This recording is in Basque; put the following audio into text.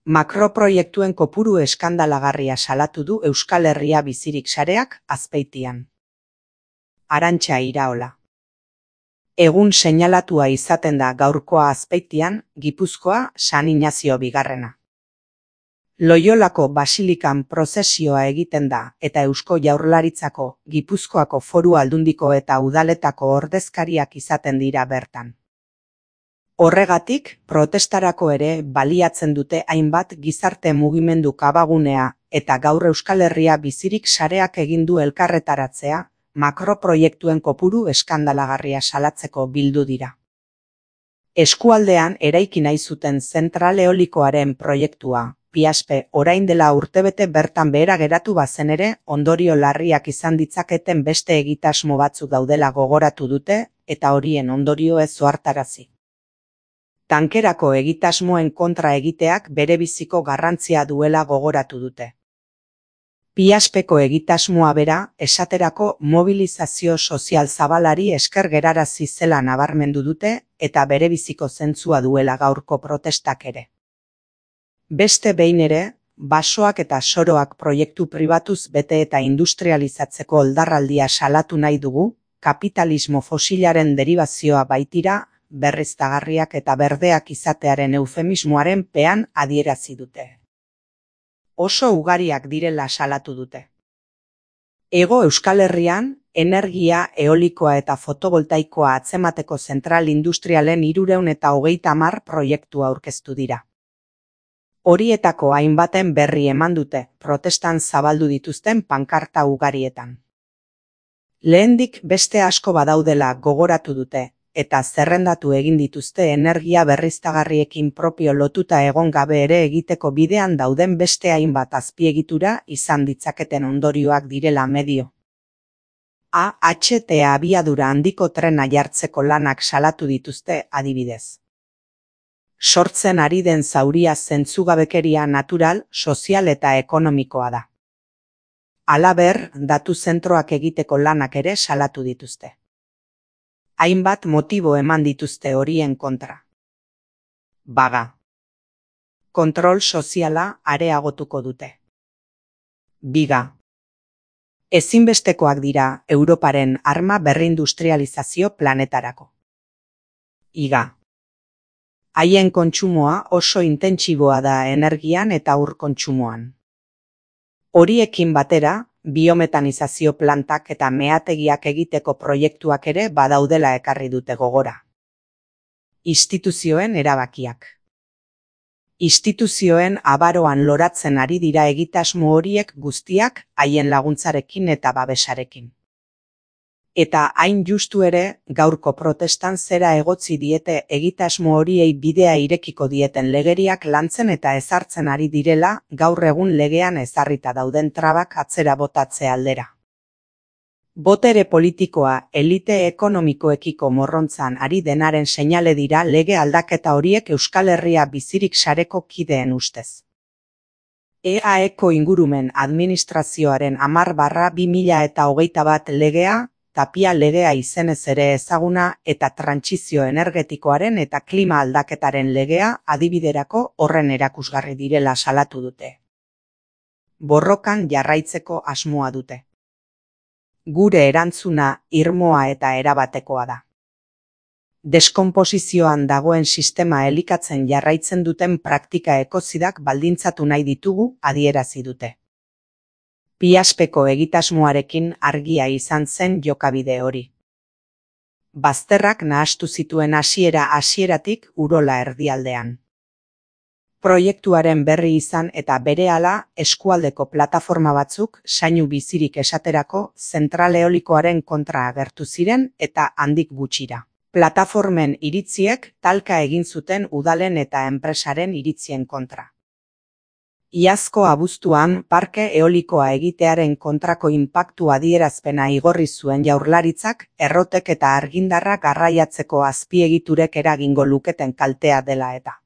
Makroproiektuen kopuru eskandalagarria salatu du Euskal Herria Bizirik sareak Azpeitian. Arantxa Iraola. Egun seinalatua izaten da gaurkoa Azpeitian, Gipuzkoa San Inazio Bigarrena. Loiolako basilikan prozesioa egiten da eta Eusko Jaurlaritzako, Gipuzkoako Foru Aldundiko eta udaletako ordezkariak izaten dira bertan. Horregatik, protestarako ere baliatzen dute hainbat gizarte mugimendu kabagunea eta gaur Euskal Herria Bizirik sareak egin du elkarretaratzea, makroproiektuen kopuru eskandalagarria salatzeko bildu dira. Eskualdean eraiki nahi zuten zentral eolikoaren proiektua, Piaspe, orain dela urtebete bertan behera geratu bazen ere, ondorio larriak izan ditzaketen beste egitasmo batzuk daudela gogoratu dute eta horien ondorio ez ohartarazi. Tankerako egitasmoen kontra egiteak berebiziko garrantzia duela gogoratu dute. Piaspeko egitasmoa bera, esaterako mobilizazio sozial zabalari esker gerarazi zela nabarmendu dute eta berebiziko zentzua duela gaurko protestak ere. Beste behin ere, basoak eta soroak proiektu pribatuz bete eta industrializatzeko oldarraldia salatu nahi dugu, kapitalismo fosilaren deribazioa baitira, berriztagarriak eta berdeak izatearen eufemismoaren pean adierazi dute. Oso ugariak direla salatu dute. Hego Euskal Herrian, energia eolikoa eta fotovoltaikoa atzemateko zentral industrialen 330 proiektu aurkeztu dira. Horietako hainbaten berri eman dute, protestan zabaldu dituzten pankarta ugarietan. Lehendik beste asko badaudela gogoratu dute, eta zerrendatu egin dituzte energia berriztagarriekin propio lotuta egon gabe ere egiteko bidean dauden beste hainbat azpiegitura izan ditzaketen ondorioak direla medio. AHT abiadura handiko trena jartzeko lanak salatu dituzte adibidez. Sortzen ari den zauria zentzugabekeria natural, sozial eta ekonomikoa da. Halaber, datu zentroak egiteko lanak ere salatu dituzte. Hainbat motibo eman dituzte horien kontra. Baga. Kontrol soziala areagotuko dute. Biga. Ezinbestekoak dira Europaren arma berrindustrializazio planetarako. Iga. Haien kontsumoa oso intentsiboa da energian eta ur kontsumoan. Horiekin batera, biometanizazio plantak eta meategiak egiteko proiektuak ere badaudela ekarri dute gogora. Instituzioen erabakiak. Instituzioen abaroan loratzen ari dira egitasmo horiek guztiak haien laguntzarekin eta babesarekin. Eta hain justu ere, gaurko protestan zera egotzi diete egitasmo horiei bidea irekiko dieten legeriak lantzen eta ezartzen ari direla, gaur egun legean ezarrita dauden trabak atzera botatze aldera. Botere politikoa elite ekonomikoekiko morrontzan ari denaren seinale dira lege aldaketa horiek Euskal Herria Bizirik sareko kideen ustez. EAEko ingurumen administrazioaren 10/2021 legea, Tapia legea izenez ere ezaguna eta trantsizio energetikoaren eta klima aldaketaren legea adibiderako horren erakusgarri direla salatu dute. Borrokan jarraitzeko asmoa dute. Gure erantzuna irmoa eta erabatekoa da. Deskonposizioan dagoen sistema elikatzen jarraitzen duten praktika ekozidak baldintzatu nahi ditugu adierazi dute. Piaspeko egitasmoarekin argia izan zen jokabide hori. Bazterrak nahastu zituen hasieratik Urola erdialdean. Proiektuaren berri izan eta berehala eskualdeko plataforma batzuk Sainu Bizirik esaterako zentral eolikoaren kontra agertu ziren eta handik gutxira. Plataformen iritziek talka egin zuten udalen eta enpresaren iritzien kontra. Iazko abuztuan parke eolikoa egitearen kontrako inpaktu adierazpena igorri zuen Jaurlaritzak errotek eta argindarra garraiatzeko azpiegiturek eragingo luketen kaltea dela eta.